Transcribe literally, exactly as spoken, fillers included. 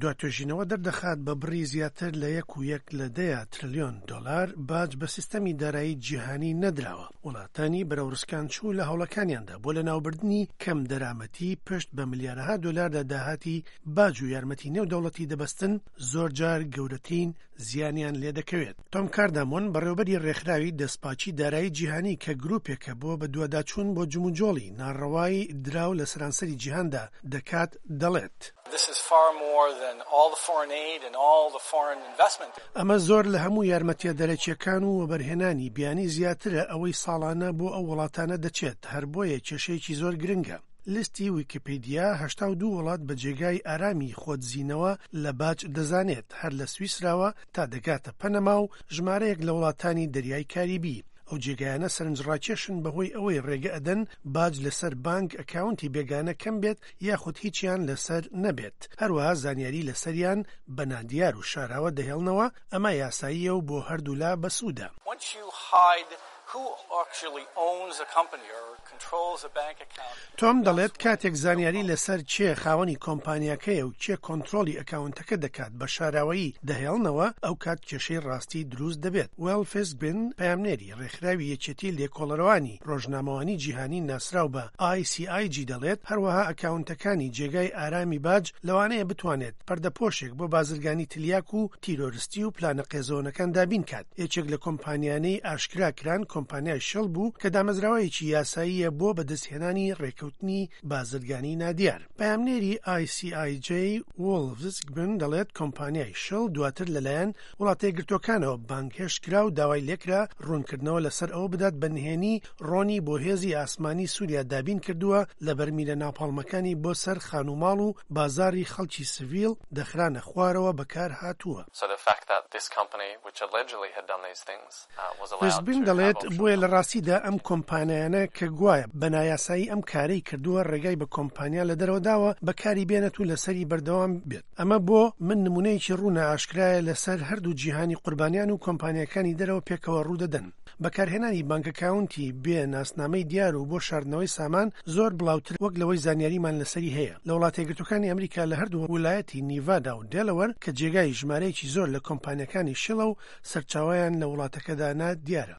دوا توێژینەوە دەردەخات بە بڕی زیاتر لە یەک و یەک لە دەیە ترلیۆن دۆلار باج بە سیستەمی دارایی جیهانی نەدراوە. وڵاتانی بەرەو ڕسکانچوو لە هەوڵەکانیاندا بۆ لەناوبردنی کەم دەرامەتی پشت بە ملیارەها دۆلاردا داهاتی باج و یارمەتی نێودەوڵەتی دەبەستن، زۆر جار گەورەترین زیانیان لێدەکەوێت. تۆم کاردامۆن، بەڕێوبەری ڕێکخراوی دەستپاکی دارایی جیهانی کە گروپێکە بۆ بەدواداچوون بۆ جموجۆڵی ناڕەوای دراو لە سەرانسەری جیهاندا دەکات، دەڵێت: This is far more than all the foreign aid and all the foreign investment. ئەمە زۆر لە هەموو یارمەتیە دەرەکیەکان و وەبەرهێنانی بیانی زیاترە ئەوەی ساڵانە بۆ ئەو وڵاتانە دەچێت، هەر بۆیە کێشەیەکی زۆر گرنگە. لیستی ویکیپیدیا هەشتا و دوو وڵات بە جێگای ئارامی خۆدزینەوە لە باج دەزانێت، هەر لە سویسراوە تا دەگاتە پەنەما و ژمارەیەک لە وڵاتانی دەریای کاریبی. ئەو جێگایانە سەرنجڕاکێشن بەهۆی ئەوەی ڕێگە ئەدەن باج لەسەر بانک ئەکاونتی بێگانە کەم بێت یاخود هیچیان لەسەر نەبێت، هەروەها زانیاری لەسەریان بە نادیار و شاراوە دەهێڵنەوە. ئەمە یاساییە و بۆ هەردوولا بەسوودە. Once you hide who actually owns a company or controls a bank account. تۆم دەڵێت کاتێک زانیاری لەسەر کێ خاوەنی کۆمپانیاکەیە و کێ کۆنترۆڵی ئەکاونتەکە دەکات بە شاراوەیی دەهێڵنەوە، ئەو کات کێشەی ڕاستی دروست دەبێت. وێڵ فیسبن، پەیامنێری ڕێکخراوی یەکێتی لێکۆڵەرەوانی ڕۆژنامەوانی جیهانی ناسراو بە I C I J دەڵێت هەروەها ئەکاونتەکانی جێگای ئارامی باج لەوانەیە بتوانێت پەردەپۆشێک بۆ بازرگانی تلیاک و تیرۆرستی و پلانە قێزەونەکان دابین کات. یەکێک لە کۆمپانیانەی ئاشکرا کران کۆمپانیای شڵ بوو کە دامەزراوەیەکی یاساییە بۆ بەدەستهێنانی ڕێکەوتنی بازرگانی نادیار. پەیامنێری I C I J وۆڵفزگبن دەڵێت کۆمپانیای شڵ دواتر لەلایەن وڵاتە یەکگرتووەکانەوە بانگهێشت کرا و داوای لێکرا ڕوونکردنەوە لەسەر ئەوە بدات بە نهێنی ڕۆنی بۆ هێزی ئاسمانی سووریا دابین کردووە لە بەرمیلە ناپاڵمەکانی بۆ سەر خانوماڵ و بازاری خەڵکی سڤیل دەخرانە خوارەوە بەکار هاتووە. So the fact that this company, which allegedly had done these things, uh, was allowed فیسبن to have دەڵێت offshore بۆیە لە ڕاستیدا ئەم کۆمپانیانە کە گوایە بە نایاسایی ئەم کارەی کردووە ڕێگای بە کۆمپانیا لە دەرەوە داوە بەکاری بێنێت و لەسەری بەردەوام بێت. ئەمە بۆ من نمونەیەکی ڕوونە ئاشکرایە لەسەر هەردوو جیهانی قوربانیان و کۆمپانیەکانی دەرەوە پێکەوە ڕوودەدەن. بەکارهێنانی بانک ئەکاونتی بێ ناسنامەی دیار و بۆ شاردنەوەی سامان زۆر بڵاوتر وەک لەوەی زانیاریمان لەسەری هەیە. لە وڵاتە یەکگرتووەکانی ئەمریکا لە هەردوو ویلایەتی نیڤادا و دێلەوەر کە جێگای ژمارەیەکی زۆر لە کۆمپانیەکانی شڵە و سەرچاویان لە وڵاتەکەدا نادیارە.